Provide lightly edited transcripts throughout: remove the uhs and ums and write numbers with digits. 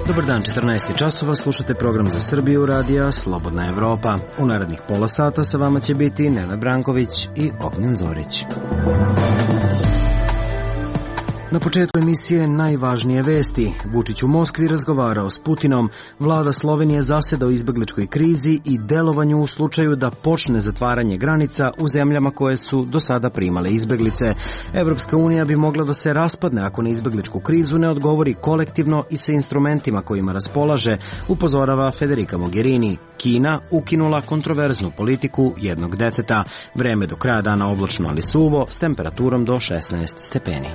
Dobar dan, 14 časova, slušate program za Srbiju radija Slobodna Evropa. U narednih pola sata sa vama će biti Nenad Branković i Ognjen Zorić. Na početku emisije najvažnije vesti. Vučić u Moskvi razgovarao s Putinom, vlada Slovenije zaseda o izbegličkoj krizi i delovanju u slučaju da počne zatvaranje granica u zemljama koje su do sada primale izbeglice. Evropska unija bi mogla da se raspadne ako na izbegličku krizu ne odgovori kolektivno i sa instrumentima kojima raspolaže, upozorava Federica Mogherini. Kina ukinula kontroverznu politiku jednog deteta. Vreme do kraja dana oblačno ali suvo s temperaturom do 16 stepeni.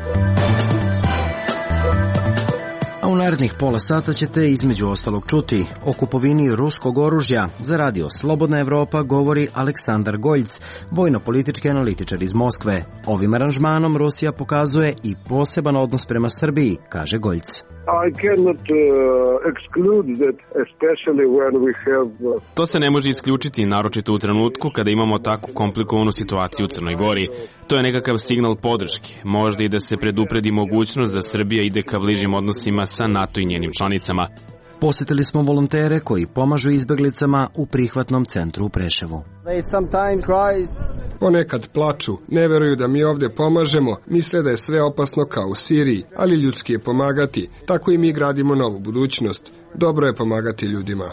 A u narednih pola sata ćete između ostalog čuti o kupovini ruskog oružja. Za radio Slobodna Evropa govori Aleksandar Goljc, vojno-politički analitičar iz Moskve. Ovim aranžmanom Rusija pokazuje i poseban odnos prema Srbiji, kaže Goljc. To se ne može isključiti, naročito u trenutku kada imamo takvu komplikovanu situaciju u Crnoj Gori. To je nekakav signal podrške, možda i da se predupredi mogućnost da Srbija ide ka bližim odnosima sa NATO i njenim članicama. Posjetili smo volontere koji pomažu izbeglicama u prihvatnom centru u Preševu. Ponekad plaču, ne veruju da mi ovdje pomažemo, misle da je sve opasno kao u Siriji, ali ljudski je pomagati, tako i mi gradimo novu budućnost. Dobro je pomagati ljudima.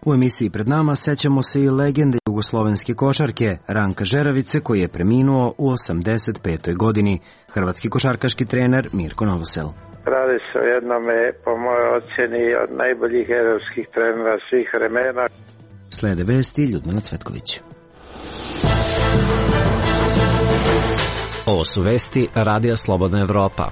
U emisiji pred nama sećamo se i legende jugoslovenske košarke, Ranka Žeravice, koji je preminuo u 85. godini. Hrvatski košarkaški trener Mirko Novosel. Radi se o jednome, po mojoj ocjeni, od najboljih evropskih trenera svih vremena. Slede vesti Ljudmila Cvetković. Ovo su vesti radija Slobodna Evropa.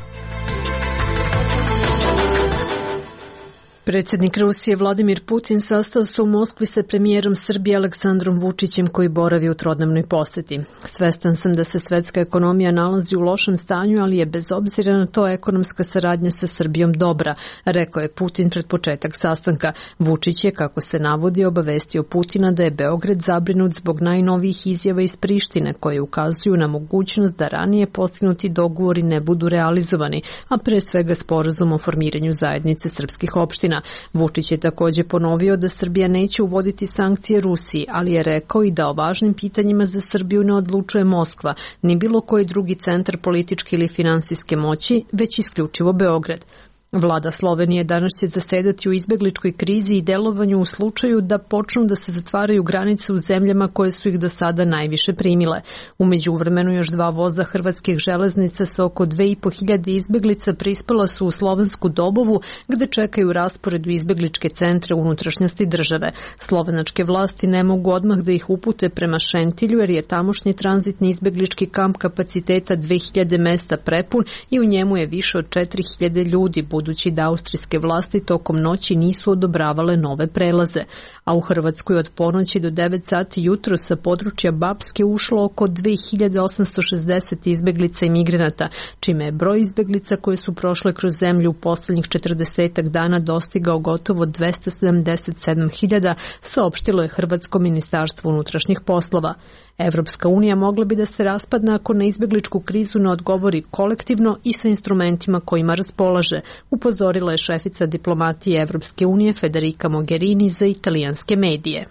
Predsjednik Rusije Vladimir Putin sastao se u Moskvi sa premijerom Srbije Aleksandrom Vučićem koji boravi u trodnevnoj poseti. Svestan sam da se svetska ekonomija nalazi u lošem stanju, ali je bez obzira na to ekonomska saradnja sa Srbijom dobra, rekao je Putin pred početak sastanka. Vučić je, kako se navodi, obavestio Putina da je Beograd zabrinut zbog najnovijih izjava iz Prištine koje ukazuju na mogućnost da ranije postignuti dogovori ne budu realizovani, a pre svega sporazum o formiranju zajednice srpskih opština. Vučić je također ponovio da Srbija neće uvoditi sankcije Rusiji, ali je rekao i da o važnim pitanjima za Srbiju ne odlučuje Moskva, ni bilo koji drugi centar političke ili finansijske moći, već isključivo Beograd. Vlada Slovenije danas će zasedati u izbegličkoj krizi i delovanju u slučaju da počnu da se zatvaraju granice u zemljama koje su ih do sada najviše primile. U međuvremenu još 2 voza hrvatskih železnica sa oko 2.500 izbeglica prispela su u Slovensku Dobovu, gde čekaju raspored u izbegličke centre unutrašnjosti države. Slovenačke vlasti ne mogu odmah da ih upute prema Šentilju jer je tamošnji tranzitni izbeglički kamp kapaciteta 2000 mesta prepun i u njemu je više od 4000 ljudi, budući da austrijske vlasti tokom noći nisu odobravale nove prelaze. A u Hrvatskoj od ponoći do 9 sati jutro sa područja Bapske ušlo oko 2860 izbeglica i migranata, čime je broj izbeglica koje su prošle kroz zemlju u posljednjih 40 dana dostigao gotovo 277.000, saopštilo je Hrvatsko ministarstvo unutrašnjih poslova. Evropska unija mogla bi da se raspadne ako na izbegličku krizu ne odgovori kolektivno i sa instrumentima kojima raspolaže, upozorila je šefica diplomatije Evropske unije Federica Mogherini za italijanske medije.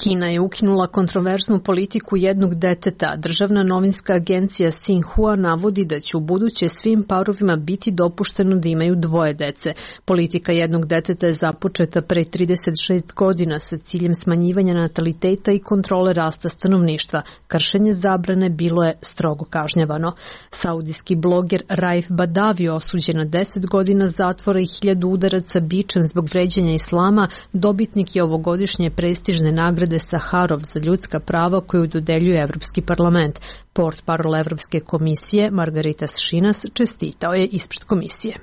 Kina je ukinula kontroverznu politiku jednog deteta. Državna novinska agencija Xinhua navodi da će u buduće svim parovima biti dopušteno da imaju 2 dece. Politika jednog deteta je započeta pre 36 godina sa ciljem smanjivanja nataliteta i kontrole rasta stanovništva. Kršenje zabrane bilo je strogo kažnjavano. Saudijski bloger Raif Badavi osuđen na 10 godina zatvora i 1000 udaraca bičem zbog vređanja islama, dobitnik je ovogodišnje prestižne nagrade Saharov za ljudska prava koju dodeljuje Evropski parlament. Portparol Evropske komisije Margarita Šinas čestitao je ispred komisije.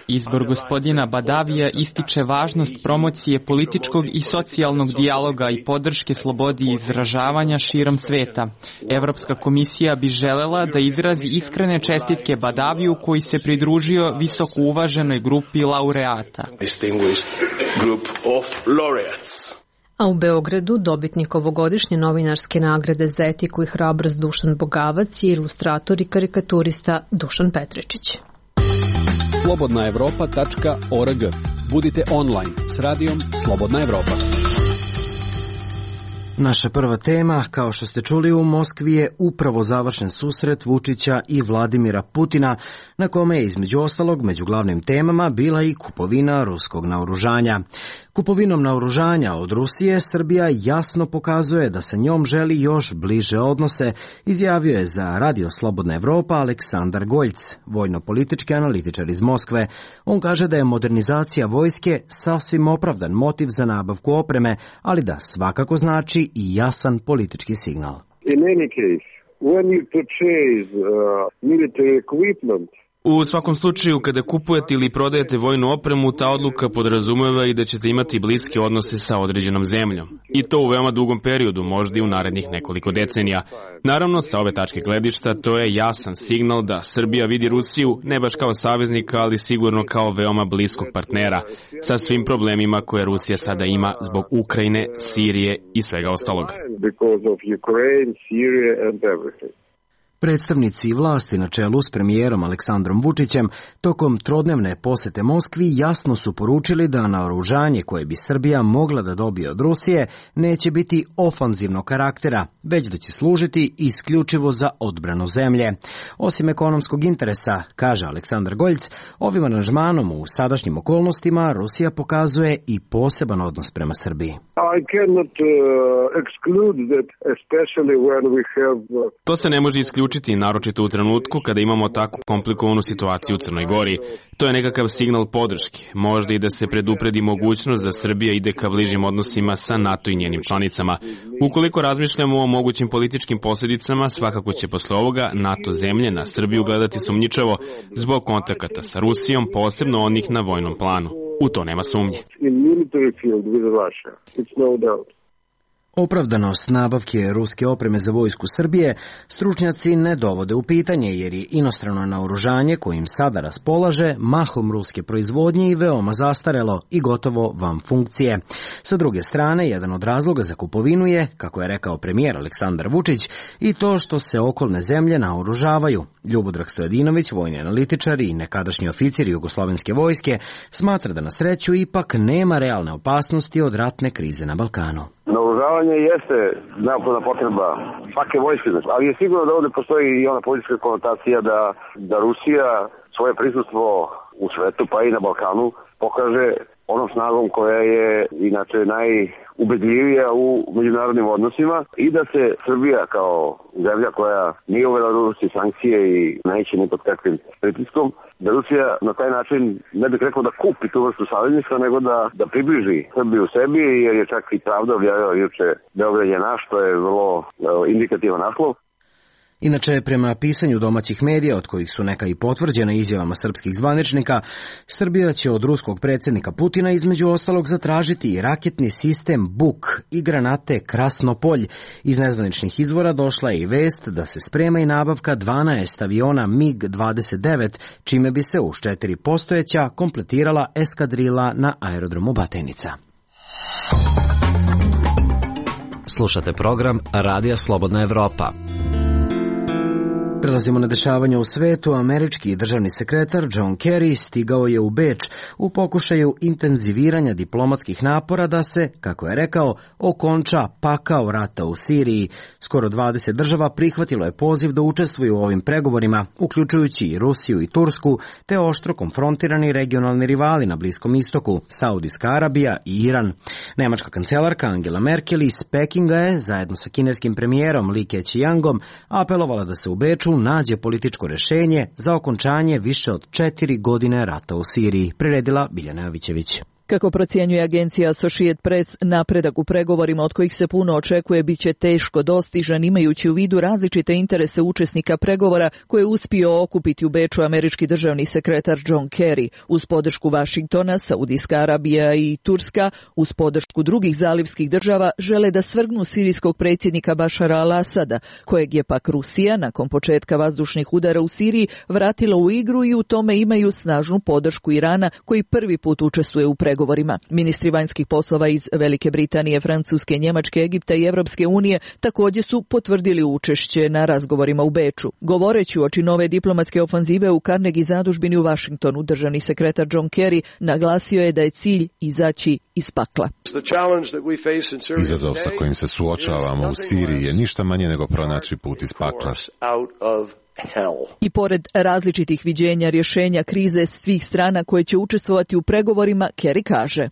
Izbor gospodina Badavija ističe važnost promocije političkog i socijalnog dijaloga i podrške slobodi izražavanja širom sveta. Evropska komisija bi želela da izrazi iskrene čestitke Badaviju koji se pridružio visoko uvaženoj grupi laureata. A u Beogradu dobitnik ovogodišnje novinarske nagrade za etiku i hrabrost Dušan Bogavac je ilustrator i karikaturista Dušan Petričić. Slobodnaevropa.org. Budite online s radijom Slobodna Evropa. Naša prva tema, kao što ste čuli, u Moskvi je upravo završen susret Vučića i Vladimira Putina, na kome je između ostalog među glavnim temama bila i kupovina ruskog naoružanja. Kupovinom naoružanja od Rusije Srbija jasno pokazuje da sa njom želi još bliže odnose, izjavio je za Radio Slobodna Evropa Aleksandar Goljc, vojno-politički analitičar iz Moskve. On kaže da je modernizacija vojske sasvim opravdan motiv za nabavku opreme, ali da svakako znači i jasan politički signal. In any case, when you purchase military equipment, u svakom slučaju, kada kupujete ili prodajete vojnu opremu, ta odluka podrazumeva i da ćete imati bliske odnose sa određenom zemljom. I to u veoma dugom periodu, možda i u narednih nekoliko decenija. Naravno, sa ove tačke gledišta, to je jasan signal da Srbija vidi Rusiju ne baš kao saveznika, ali sigurno kao veoma bliskog partnera, sa svim problemima koje Rusija sada ima zbog Ukrajine, Sirije i svega ostalog. Predstavnici vlasti na čelu s premijerom Aleksandrom Vučićem tokom trodnevne posete Moskvi jasno su poručili da naoružanje koje bi Srbija mogla da dobije od Rusije neće biti ofanzivnog karaktera, već da će služiti isključivo za odbranu zemlje. Osim ekonomskog interesa, kaže Aleksandar Goljc, ovim aranžmanom u sadašnjim okolnostima Rusija pokazuje i poseban odnos prema Srbiji. To se ne može isključiti, naročito u trenutku kada imamo tako komplikovanu situaciju u Crnoj Gori. To je nekakav signal podrške, možda i da se predupredi mogućnost da Srbija ide ka bližim odnosima sa NATO i njenim članicama. Ukoliko razmišljamo o mogućim političkim posljedicama, svakako će posle ovoga NATO zemlje na Srbiju gledati sumnjičavo zbog kontakata sa Rusijom, posebno onih na vojnom planu. U to nema sumnje. Opravdanost nabavke ruske opreme za vojsku Srbije stručnjaci ne dovode u pitanje, jer je inostrano naoružanje kojim sada raspolaže mahom ruske proizvodnje i veoma zastarelo i gotovo van funkcije. Sa druge strane, jedan od razloga za kupovinu je, kako je rekao premijer Aleksandar Vučić, i to što se okolne zemlje naoružavaju. Ljubodrag Stojadinović, vojni analitičar i nekadašnji oficir jugoslovenske vojske, smatra da na sreću ipak nema realne opasnosti od ratne krize na Balkanu. Naoružavanje jeste neophodna potreba svake vojske, ali je sigurno da ovde postoji i ona politička konotacija da Rusija svoje prisustvo u svetu, pa i na Balkanu, pokaže onom snagom koja je inače najubedljivija u međunarodnim odnosima i da se Srbija kao zemlja koja nije uvela Rusiji sankcije i neće ni pod kakvim pritiskom, da Rusija na taj način, ne bih rekao da kupi tu vrstu savezništva, nego da približi Srbiju sebi, jer je čak i Pravda objavila juče Beograd je naš, to je vrlo indikativan naslov. Inače, prema pisanju domaćih medija, od kojih su neka i potvrđena izjavama srpskih zvaničnika, Srbija će od ruskog predsjednika Putina između ostalog zatražiti i raketni sistem Buk i granate Krasnopolj. Iz nezvaničnih izvora došla je i vest da se sprema i nabavka 12 aviona MiG-29, čime bi se uz 4 postojeća kompletirala eskadrila na aerodromu Batajnica. Slušate program Radija Slobodna Evropa. Prelazimo na dešavanja u svetu. Američki državni sekretar John Kerry stigao je u Beč u pokušaju intenziviranja diplomatskih napora da se, kako je rekao, okonča pakao rata u Siriji. Skoro 20 država prihvatilo je poziv da učestvuju u ovim pregovorima, uključujući i Rusiju i Tursku, te oštro konfrontirani regionalni rivali na Bliskom istoku, Saudijska Arabija i Iran. Nemačka kancelarka Angela Merkel iz Pekinga je, zajedno sa kineskim premijerom Li Keqiangom, apelovala da se u Beču nađe političko rešenje za okončanje više od 4 godine rata u Siriji, priredila Biljana Jovićević. Kako procjenjuje agencija Associated Press, napredak u pregovorima od kojih se puno očekuje biće teško dostižan, imajući u vidu različite interese učesnika pregovora koje je uspio okupiti u Beču američki državni sekretar John Kerry. Uz podršku Vašingtona, Saudijska Arabija i Turska, uz podršku drugih zalivskih država, žele da svrgnu sirijskog predsjednika Bašara al-Asada, kojeg je pak Rusija, nakon početka vazdušnih udara u Siriji, vratila u igru i u tome imaju snažnu podršku Irana, koji prvi put učestvuje u pregovorima pregovorima. Ministri vanjskih poslova iz Velike Britanije, Francuske, Njemačke, Egipta i Evropske unije također su potvrdili učešće na razgovorima u Beču. Govoreći uoči nove diplomatske ofanzive u Carnegie zadužbini u Vašingtonu, državni sekretar John Kerry naglasio je da je cilj izaći iz pakla. Izazov sa kojim se suočavamo u Siriji je ništa manje nego pronaći put iz pakla. I pored različitih viđenja rješenja krize svih strana koje će učestvovati u pregovorima, Kerry kaže: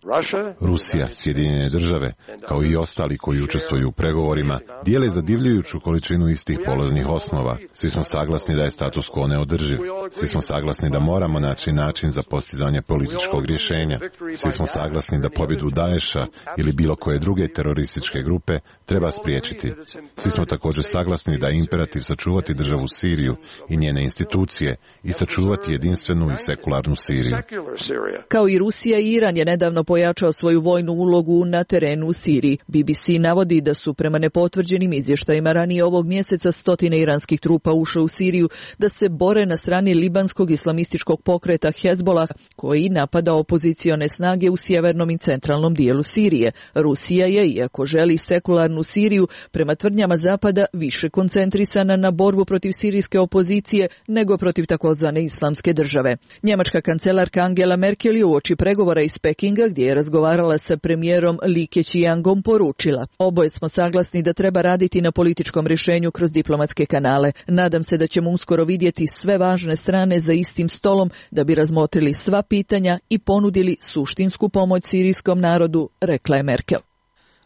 Rusija, Sjedinjene države, kao i ostali koji učestvuju u pregovorima, dijele zadivljujuću količinu istih polaznih osnova. Svi smo saglasni da je status quo neodrživ. Svi smo saglasni da moramo naći način za postizanje političkog rješenja. Svi smo saglasni da pobjedu Daesha ili bilo koje druge terorističke grupe treba spriječiti. Svi smo također saglasni da je imperativ sačuvati državu Siriju i njene institucije i sačuvati jedinstvenu i sekularnu Siriju. Kao i Rusija, Iran je nedavno pojačao svoju vojnu ulogu na terenu u Siriji. BBC navodi da su prema nepotvrđenim izvještajima ranije ovog mjeseca stotine iranskih trupa ušle u Siriju da se bore na strani libanskog islamističkog pokreta Hezbollah, koji napada opozicione snage u sjevernom i centralnom dijelu Sirije. Rusija je, iako želi sekularnu Siriju, prema tvrdnjama Zapada više koncentrisana na borbu protiv sirijske opozicije nego protiv takozvane islamske države. Njemačka kancelarka Angela Merkel je uoči pregovora iz Pekinga, gdje je razgovarala sa premijerom Li Keqiangom, poručila: oboje smo saglasni da treba raditi na političkom rješenju kroz diplomatske kanale. Nadam se da ćemo uskoro vidjeti sve važne strane za istim stolom da bi razmotrili sva pitanja i ponudili suštinsku pomoć sirijskom narodu, rekla je Merkel.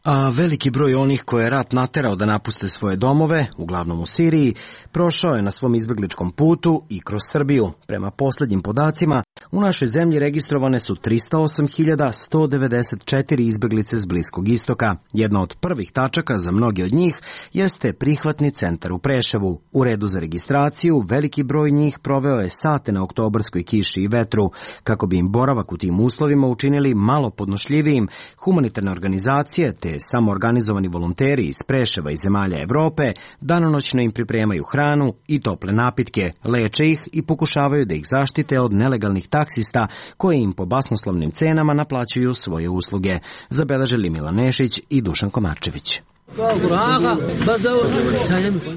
A veliki broj onih koje je rat naterao da napuste svoje domove, uglavnom u Siriji, prošao je na svom izbjegličkom putu i kroz Srbiju. Prema posljednjim podacima, u našoj zemlji registrovane su 308.194 izbjeglice s Bliskog istoka. Jedna od prvih tačaka za mnoge od njih jeste prihvatni centar u Preševu. U redu za registraciju veliki broj njih proveo je sate na oktobarskoj kiši i vetru. Kako bi im boravak u tim uslovima učinili malo podnošljivijim, humanitarne organizacije te samoorganizovani volonteri iz Preševa i zemalja Evrope danonoćno im pripremaju hranu i tople napitke, leče ih i pokušavaju da ih zaštite od nelegalnih taksista koji im po basnoslovnim cenama naplaćuju svoje usluge. Zabeležili Milan Nešić i Dušan Komarčević.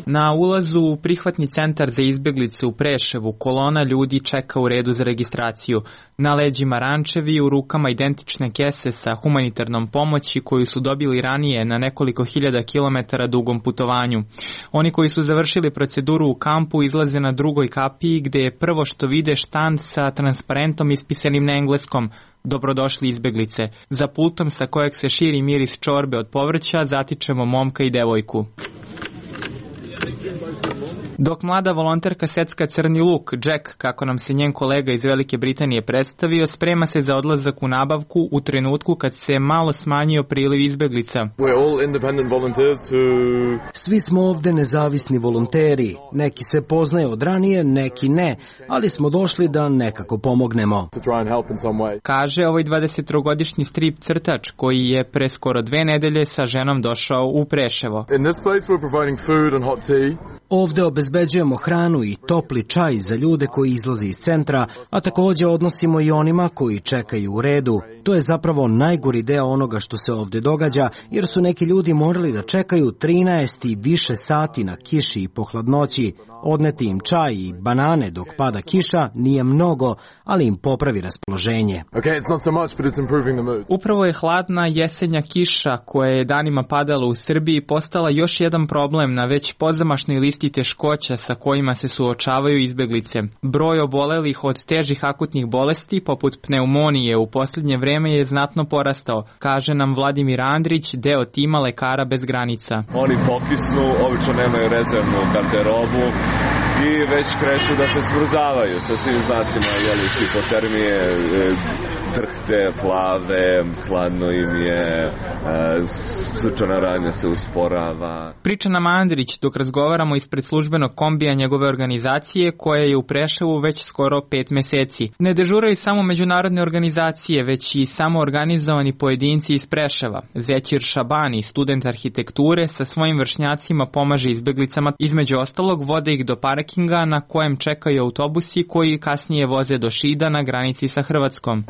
Na ulazu u prihvatni centar za izbjeglice u Preševu kolona ljudi čeka u redu za registraciju. Na leđima rančevi, u rukama identične kese sa humanitarnom pomoći koju su dobili ranije na nekoliko hiljada kilometara dugom putovanju. Oni koji su završili proceduru u kampu izlaze na drugoj kapiji gdje je prvo što vide štand sa transparentom ispisanim na engleskom: dobrodošli izbjeglice. Za pultom sa kojeg se širi miris čorbe od povrća zatičemo momka i devojku. Dok mlada volonterka secka crni luk, Jack, kako nam se njen kolega iz Velike Britanije predstavio, sprema se za odlazak u nabavku u trenutku kad se malo smanjio priliv izbjeglica. Svi smo ovdje nezavisni volonteri. Neki se poznaju od ranije, neki ne, ali smo došli da nekako pomognemo. Kaže ovaj 23-godišnji strip crtač koji je pre skoro 2 nedelje sa ženom došao u Preševo. Ovdje obezbeđujemo hranu i topli čaj za ljude koji izlaze iz centra, a također odnosimo i onima koji čekaju u redu. To je zapravo najgori deo onoga što se ovdje događa, jer su neki ljudi morali da čekaju 13 i više sati na kiši i po hladnoći. Odneti im čaj i banane dok pada kiša nije mnogo, ali im popravi raspoloženje. Upravo je hladna jesenja kiša koja je danima padala u Srbiji postala još jedan problem na već pozamašnoj listi teškoća sa kojima se suočavaju izbjeglice. Broj obolelih od težih akutnih bolesti poput pneumonije u posljednje vreme je znatno porastao, kaže nam Vladimir Andrić, deo tima Lekara bez granica. Oni pokisnu, obično nemaju rezervnu garderobu i već kreću da se smrzavaju sa svim znacima hipotermije, drhte, plave, hladno im je, srčana radnja se usporava. Priča nam Andrić dok razgovaramo ispred službenog kombija njegove organizacije koja je u Preševu već skoro 5 mjeseci. Ne dežuraju samo međunarodne organizacije, već i samo organizovani pojedinci iz Preševa. Zećir Šabani, student arhitekture, sa svojim vršnjacima pomaže izbjeglicama, između ostalog vode ih do parking parkinga na kojem čekaju autobusi koji kasnije voze do Šida na granici sa Hrvatskom.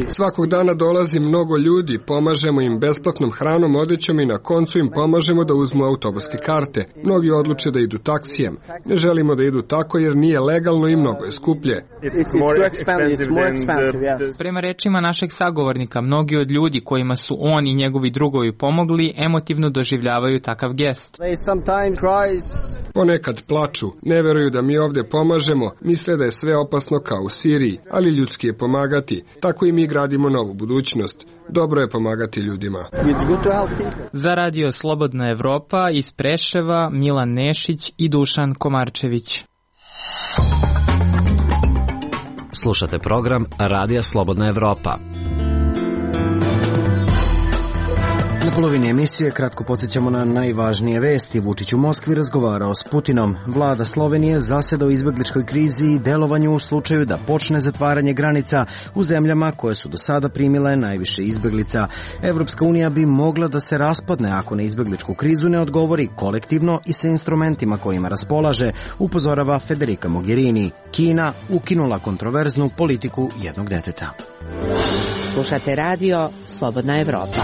Svakog dana dolazi mnogo ljudi, pomažemo im besplatnom hranom, odećom i na koncu im pomažemo da uzmu autobuske karte. Mnogi odluče da idu taksijem. Ne želimo da idu tako jer nije legalno i mnogo je skuplje. Prema rečima našeg sagovornika, mnogi od ljudi kojima su on i njegovi drugovi pomogli emotivno doživljavaju takav gest. Ponekad plaču, ne veruju da mi ovde pomažemo, misle da je sve opasno kao u Siriji, ali ljudski je pomagati. Tako i mi gradimo novu budućnost. Dobro je pomagati ljudima. Za Radio Slobodna Evropa iz Preševa Milan Nešić i Dušan Komarčević. Slušate program Radija Slobodna Evropa. Na polovini emisije kratko podsjećamo na najvažnije vesti. Vučić u Moskvi razgovarao s Putinom. Vlada Slovenije zaseda u izbegličkoj krizi i delovanju u slučaju da počne zatvaranje granica u zemljama koje su do sada primile najviše izbeglica. Evropska unija bi mogla da se raspadne ako na izbegličku krizu ne odgovori kolektivno i sa instrumentima kojima raspolaže, upozorava Federica Mogherini. Kina ukinula kontroverznu politiku jednog deteta. Slušate radio Slobodna Evropa.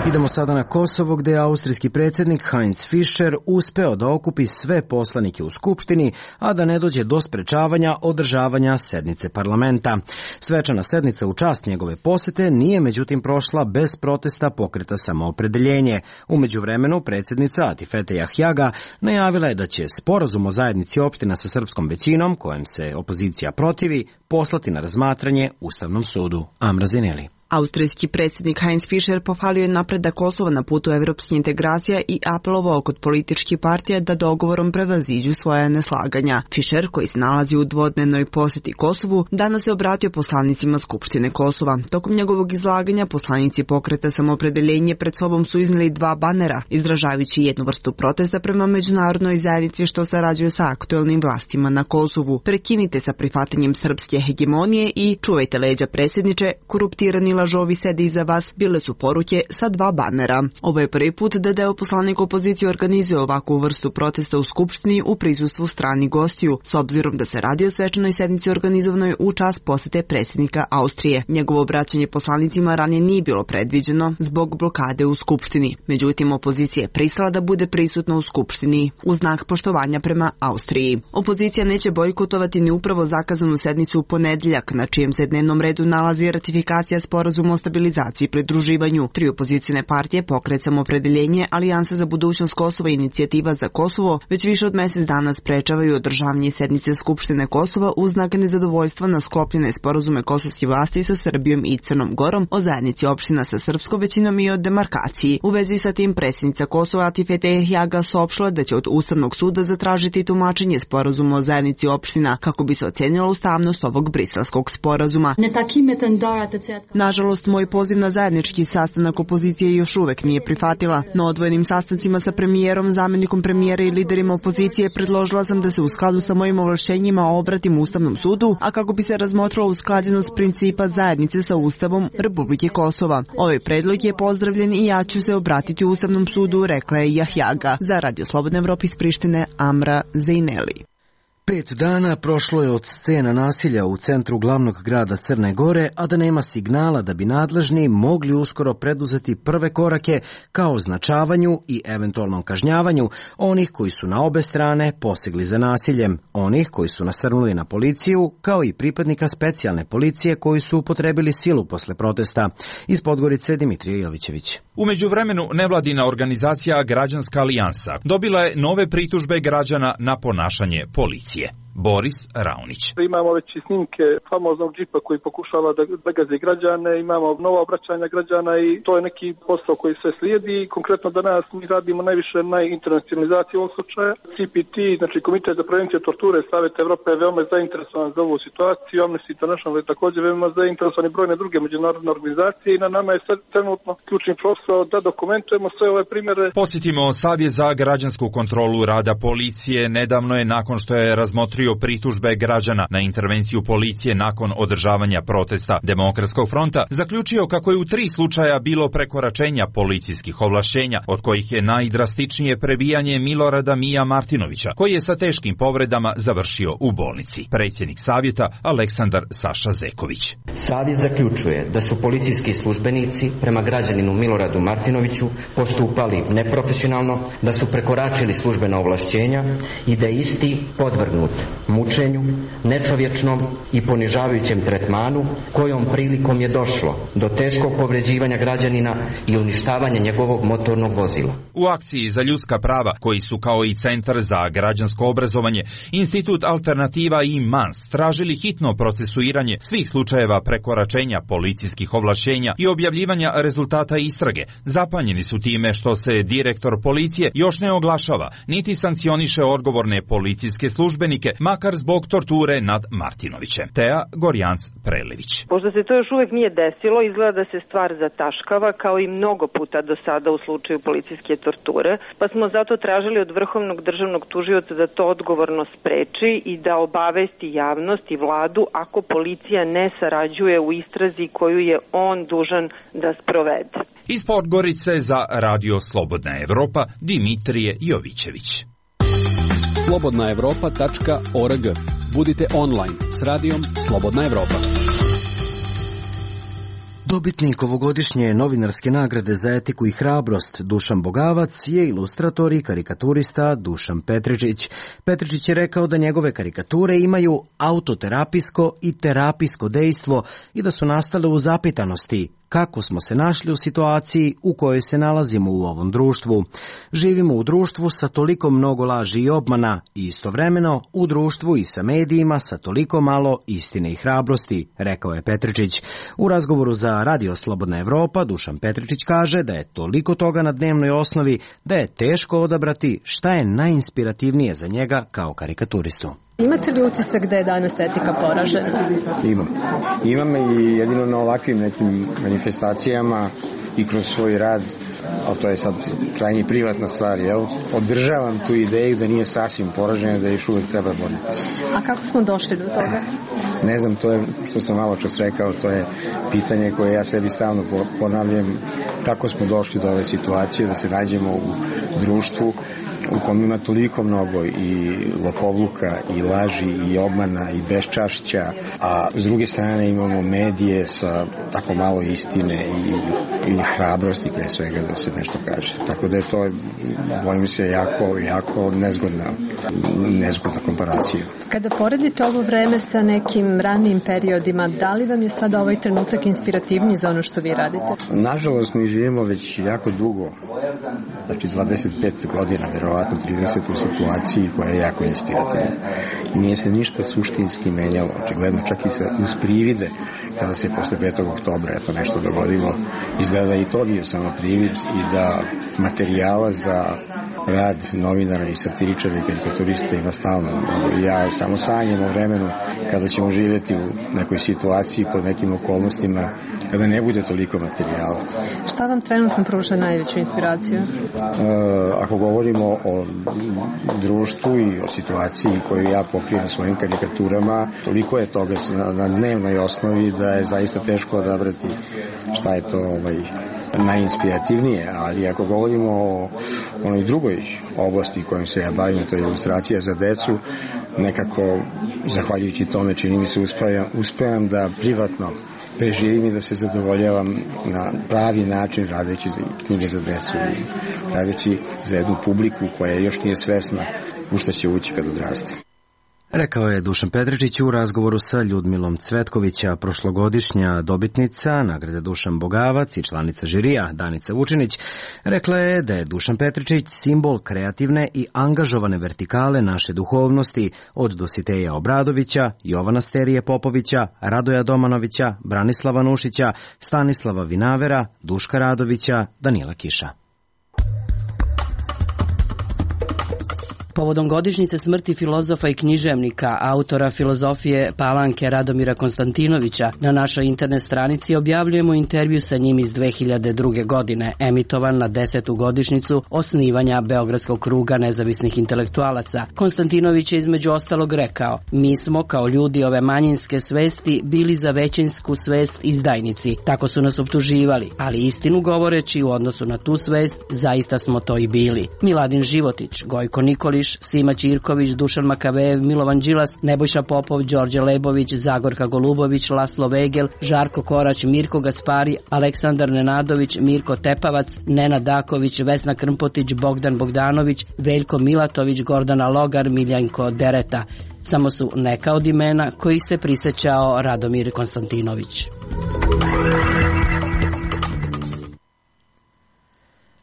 Idemo sada na Kosovo, gde je austrijski predsjednik Heinz Fischer uspeo da okupi sve poslanike u Skupštini, a da ne dođe do sprečavanja održavanja sednice parlamenta. Svečana sednica u čast njegove posete nije međutim prošla bez protesta pokreta Samoopredeljenje. U međuvremenu predsjednica Atifete Jahjaga najavila je da će sporazum o zajednici opština sa srpskom većinom, kojem se opozicija protivi, poslati na razmatranje Ustavnom sudu. Amra Zineli. Austrijski predsjednik Heinz Fischer pohvalio je napredak Kosova na putu evropskih integracija i apelovao kod političkih partija da dogovorom prevaziđu svoja neslaganja. Fischer, koji se nalazi u dvodnevnoj posjeti Kosovu, danas se obratio poslanicima Skupštine Kosova. Tokom njegovog izlaganja poslanici pokreta Samoopredeljenje pred sobom su izneli dva banera, izražavajući jednu vrstu protesta prema međunarodnoj zajednici što sarađuje sa aktuelnim vlastima na Kosovu. Prekinite sa prihvatanjem srpske hegemonije i čuvajte leđa predsjedniče, koruptirani lažovi sede iza vas, bile su poruke sa dva banera. Ovo je prvi put da deo poslanika opozicije organizuje ovakvu vrstu protesta u Skupštini u prisustvu stranih gostiju, s obzirom da se radi o svečanoj sednici organizovanoj u čast posete predsjednika Austrije. Njegovo obraćanje poslanicima ranije nije bilo predviđeno zbog blokade u Skupštini. Međutim, opozicija je pristala da bude prisutna u Skupštini u znak poštovanja prema Austriji. Opozicija neće bojkotovati ni upravo zakazanu sednicu u ponedeljak, na čijem se dnevnom redu nalazi ratifikacija sporazuma o stabilizaciji i pridruživanju. Tri opozicione partije, Pokret Samoopredeljenje, Alijansa za budućnost Kosova i Inicijativa za Kosovo, već više od mesec dana sprečavaju održavanje sednice Skupštine Kosova uz znak nezadovoljstva na sklopljene sporazume kosovskih vlasti sa Srbijom i Crnom Gorom o zajednici opština sa srpskom većinom i o demarkaciji. U vezi sa tim predsjednica Kosova Atifete Jahjaga saopštila da će od Ustavnog suda zatražiti tumačenje sporazuma o zajednici opština kako bi se ocenila ustavnost ovog briselskog sporazuma. Nažalost, moj poziv na zajednički sastanak opozicije još uvek nije prihvatila. Na odvojenim sastancima sa premijerom, zamjenikom premijera i liderima opozicije predložila sam da se u skladu sa mojim ovlašćenjima obratim Ustavnom sudu, a kako bi se razmotrila usklađenost principa zajednice sa Ustavom Republike Kosova. Ovaj predlog je pozdravljen i ja ću se obratiti Ustavnom sudu, rekla je Jahjaga. Za Radio Slobodne Evrope iz Prištine, Amra Zeineli. 5 dana prošlo je od scena nasilja u centru glavnog grada Crne Gore, a da nema signala da bi nadležni mogli uskoro preduzeti prve korake ka označavanju i eventualnom kažnjavanju onih koji su na obe strane posegli za nasiljem, onih koji su nasrnuli na policiju, kao i pripadnika specijalne policije koji su upotrebili silu posle protesta. Iz Podgorice Dimitrije Jovićević. U međuvremenu nevladina organizacija Građanska alijansa dobila je nove pritužbe građana na ponašanje policije. Boris Raunić. Imamo već i snimke famoznog džipa koji pokušava da gazi građane, imamo nova obraćanja građana i to je neki posao koji sve slijedi. Konkretno danas mi radimo najviše na internacionalizaciji ovog slučaja. CPT, znači Komitet za prevenciju torture Saveta Evrope je veoma zainteresovan za ovu situaciju. Amnesty International je također veoma zainteresovan i brojne druge međunarodne organizacije i na nama je sad trenutno ključni posao da dokumentujemo sve ove primjere. Podsjetimo, Savjet za građansku kontrolu rada policije nedavno je nakon što je razmotrio razmotrio pritužbe građana na intervenciju policije nakon održavanja protesta Demokratskog fronta, zaključio kako je u 3 slučaja bilo prekoračenja policijskih ovlašćenja, od kojih je najdrastičnije prebijanje Milorada Mija Martinovića, koji je sa teškim povredama završio u bolnici. Predsjednik savjeta Aleksandar Saša Zeković. Savjet zaključuje da su policijski službenici prema građaninu Miloradu Martinoviću postupali neprofesionalno, da su prekoračili službena ovlašćenja i da je isti podvrgnut mučenju, nečovječnom i ponižavajućem tretmanu, kojom prilikom je došlo do teškog povređivanja građanina i uništavanja njegovog motornog vozila. U akciji za ljudska prava, koji su kao i Centar za građansko obrazovanje, Institut Alternativa i MANS tražili hitno procesuiranje svih slučajeva prekoračenja policijskih ovlašćenja i objavljivanja rezultata istrage. Zapanjeni su time što se direktor policije još ne oglašava, niti sankcioniše odgovorne policijske službenike, makar zbog torture nad Martinovićem. Teja Gorjanc-Prelević. Pošto se to još uvijek nije desilo, izgleda da se stvar zataškava kao i mnogo puta do sada u slučaju policijske torture, pa smo zato tražili od Vrhovnog državnog tužioca da to odgovorno spreči i da obavesti javnost i vladu ako policija ne sarađuje u istrazi koju je on dužan da sprovede. Iz Podgorice za Radio Slobodna Evropa, Dimitrije Jovićević. slobodnaevropa.org. Budite online s radijom Slobodna Evropa. Dobitnik ovogodišnje novinarske nagrade za etiku i hrabrost Dušan Bogavac je ilustrator i karikaturista Dušan Petričić. Petričić je rekao da njegove karikature imaju autoterapijsko i terapijsko dejstvo i da su nastale u zapitanosti kako smo se našli u situaciji u kojoj se nalazimo u ovom društvu. Živimo u društvu sa toliko mnogo laži i obmana i istovremeno u društvu i sa medijima sa toliko malo istine i hrabrosti, rekao je Petričić. U razgovoru za Radio Slobodna Evropa Dušan Petričić kaže da je toliko toga na dnevnoj osnovi da je teško odabrati šta je najinspirativnije za njega kao karikaturistu. Imate li utisak da je danas etika poražena? Imam i jedino na ovakvim nekim manifestacijama i kroz svoj rad, ali to je sad krajnje privatna stvar, održavam tu ideju da nije sasvim poražena, da još uvijek treba boriti se. A kako smo došli do toga? Ne znam, to je što sam malo čas rekao, to je pitanje koje ja sebi stalno ponavljam, kako smo došli do ove situacije da se nađemo u društvu u kom ima toliko mnogo i lopovluka i laži i obmana i beščašća, a s druge strane imamo medije sa tako malo istine i hrabrosti pre svega da se nešto kaže. Tako da je to, bojim se, jako nezgodna komparacija. Kada poredite ovo vreme sa nekim ranijim periodima, da li vam je sad ovaj trenutak inspirativniji za ono što vi radite? Nažalost, mi živimo već jako dugo, znači 25 godina, verovatno 30 u situaciji koja je jako inspirativna. I nije se ništa suštinski menjalo, očigledno čak i uz privide, kada se posle 5. oktobra nešto dogodilo, izgleda i to bio samo privid i da materijala za rad novinara i satiričara i karikaturista ima stalno. Ja samo sanjam o vremenu kada ćemo živjeti u nekoj situaciji pod nekim okolnostima kada ne bude toliko materijala. Šta vam trenutno pruža najveću inspiraciju? Ako govorimo o društvu i o situaciji koju ja pokrijem svojim karikaturama, toliko je toga na dnevnoj osnovi da je zaista teško odabrati šta je to najinspirativnije, ali ako govorimo o onoj drugoj oblasti kojom se ja bavim, to je ilustracija za decu, nekako, zahvaljujući tome, čini mi se uspevam da privatno preživim i da se zadovoljavam na pravi način radeći knjige za decu i radeći za jednu publiku koja još nije svesna u šta će ući kad odraste. Rekao je Dušan Petričić u razgovoru sa Ljudmilom Cvetkovića, prošlogodišnja dobitnica nagrade Dušan Bogavac i članica žirija Danica Vučinić. Rekla je da je Dušan Petričić simbol kreativne i angažovane vertikale naše duhovnosti od Dositeja Obradovića, Jovana Sterije Popovića, Radoja Domanovića, Branislava Nušića, Stanislava Vinavera, Duška Radovića, Danila Kiša. Povodom godišnjice smrti filozofa i književnika, autora filozofije Palanke Radomira Konstantinovića, na našoj internet stranici objavljujemo intervju sa njim iz 2002. godine, emitovan na 10. godišnjicu osnivanja Beogradskog kruga nezavisnih intelektualaca. Konstantinović je između ostalog rekao: "Mi smo kao ljudi ove manjinske svesti bili za većinsku svest izdajnici. Tako su nas optuživali, ali istinu govoreći u odnosu na tu svest, zaista smo to i bili." Miladin Životić, Gojko Nikolić, Sima Ćirković, Dušan Makavejev, Milovan Đilas, Nebojša Popov, Đorđe Lebović, Zagorka Golubović, Laslo Vegel, Žarko Korać, Mirko Gaspari, Aleksandar Nenadović, Mirko Tepavac, Nenad Daković, Vesna Krmpotić, Bogdan Bogdanović, Veljko Milatović, Gordana Logar, Miljanko Dereta. Samo su neka od imena kojih se prisećao Radomir Konstantinović.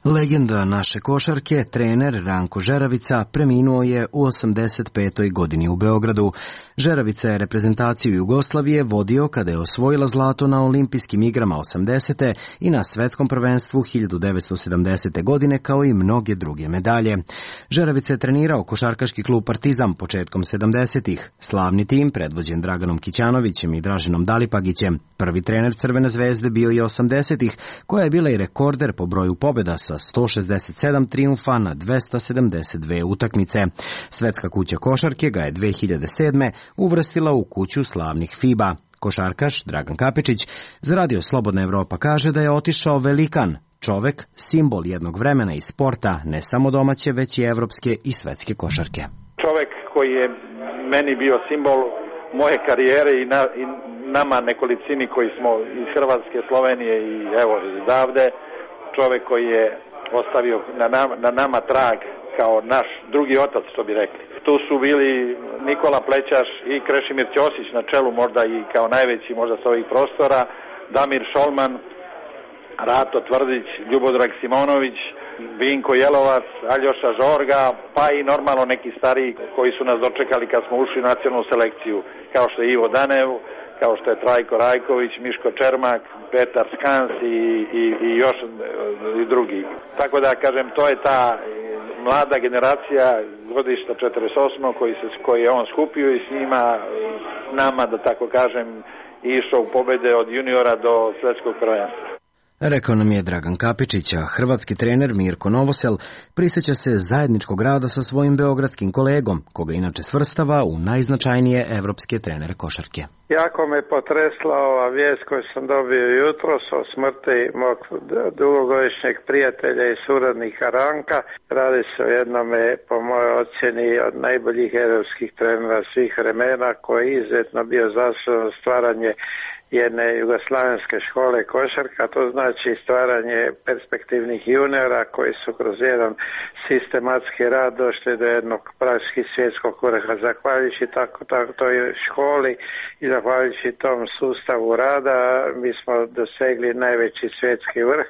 Legenda naše košarke, trener Ranko Žeravica, preminuo je u 85. godini u Beogradu. Žeravica je reprezentaciju Jugoslavije vodio kada je osvojila zlato na olimpijskim igrama 80. i na svetskom prvenstvu 1970. godine, kao i mnoge druge medalje. Žeravica je trenirao košarkaški klub Partizan početkom 70-ih. Slavni tim, predvođen Draganom Kićanovićem i Draženom Dalipagićem. Prvi trener Crvene zvezde bio i 80-ih, koja je bila i rekorder po broju pobjeda sa 167 trijumfa na 272 utakmice. Svetska kuća košarke ga je 2007. uvrstila u kuću slavnih FIBA. Košarkaš Dragan Kapičić za Radio Slobodna Evropa kaže da je otišao velikan, čovek, simbol jednog vremena i sporta, ne samo domaće, već i evropske i svetske košarke. Čovek koji je meni bio simbol moje karijere i nama nekolicini koji smo iz Hrvatske, Slovenije i evo odavde, čovek koji je ostavio na nama trag kao naš drugi otac, što bi rekli. Tu su bili Nikola Plećaš i Krešimir Ćosić na čelu, možda i kao najveći možda s ovih prostora, Damir Šolman, Rato Tvrdić, Ljubodrag Simonović, Vinko Jelovac, Aljoša Žorga, pa i normalno neki stariji koji su nas dočekali kad smo ušli u nacionalnu selekciju, kao što je Ivo Danev, kao što je Trajko Rajković, Miško Čermak, Petar Skans i još i drugi. Tako da kažem, to je ta mlada generacija godišta 48. koji je on skupio i s njima, nama, da tako kažem, išao u pobede od juniora do svetskog prvenstva. Rekao nam je Dragan Kapičić, a hrvatski trener Mirko Novosel prisjeća se zajedničkog rada sa svojim beogradskim kolegom, koga inače svrstava u najznačajnije evropske trenere košarke. Jako me potresla ova vijest koju sam dobio jutros o smrti mog dugogodišnjeg prijatelja i suradnika Ranka. Radi se o jednome, po mojoj ocjeni, od najboljih evropskih trenera svih vremena, koji je izuzetno bio zaslužan stvaranje jedne jugoslavenske škole košarka, to znači stvaranje perspektivnih juniora koji su kroz jedan sistematski rad došli do jednog praktički svjetskog vrha. Zahvaljujući toj školi i zahvaljujući tom sustavu rada mi smo dosegli najveći svjetski vrh,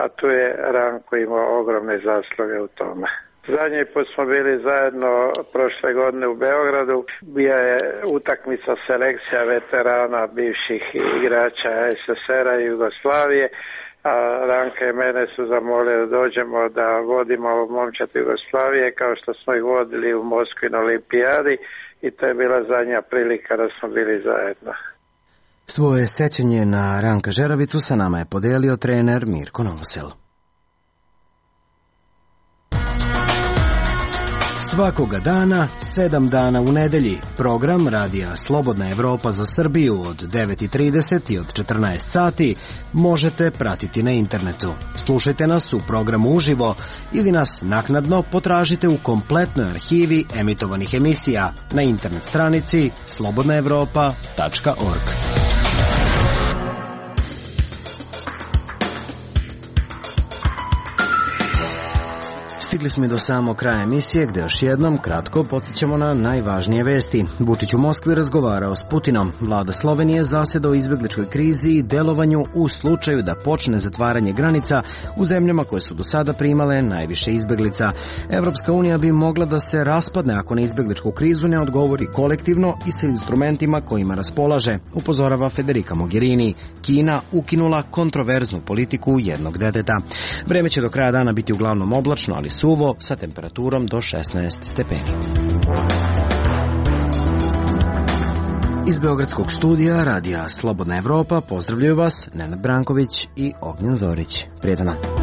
a tu je Ranko imao ogromne zasluge u tome. Zadnji put smo bili zajedno prošle godine u Beogradu. Bija je utakmica selekcija veterana bivših igrača SSR-a i Jugoslavije, a Ranka i mene su zamolili da dođemo da vodimo momčad Jugoslavije kao što smo ih vodili u Moskvi na olimpijadi i to je bila zadnja prilika da smo bili zajedno. Svoje sećanje na Ranka Žeravicu sa nama je podelio trener Mirko Novosel. Svakoga dana, 7 dana u nedelji, program Radija Slobodna Evropa za Srbiju od 9:30 i od 14 sati možete pratiti na internetu. Slušajte nas u programu uživo ili nas naknadno potražite u kompletnoj arhivi emitovanih emisija na internet stranici slobodnaevropa.org. Stigli smo i do samog kraja emisije gde još jednom kratko podsjećamo na najvažnije vesti. Vučić u Moskvi razgovarao s Putinom. Vlada Slovenije zaseda o izbegličkoj krizi i delovanju u slučaju da počne zatvaranje granica u zemljama koje su do sada primale najviše izbeglica. Evropska unija bi mogla da se raspadne ako na izbegličku krizu ne odgovori kolektivno i sa instrumentima kojima raspolaže, upozorava Federica Mogherini. Kina ukinula kontroverznu politiku jednog deteta. Vreme će do kraja dana biti uglavnom oblačno, ali suvo sa temperaturom do 16 stepeni. Iz Beogradskog studija radija Slobodna Evropa pozdravljaju vas Nenad Branković i Ognjen Zorić. Prijetan dan.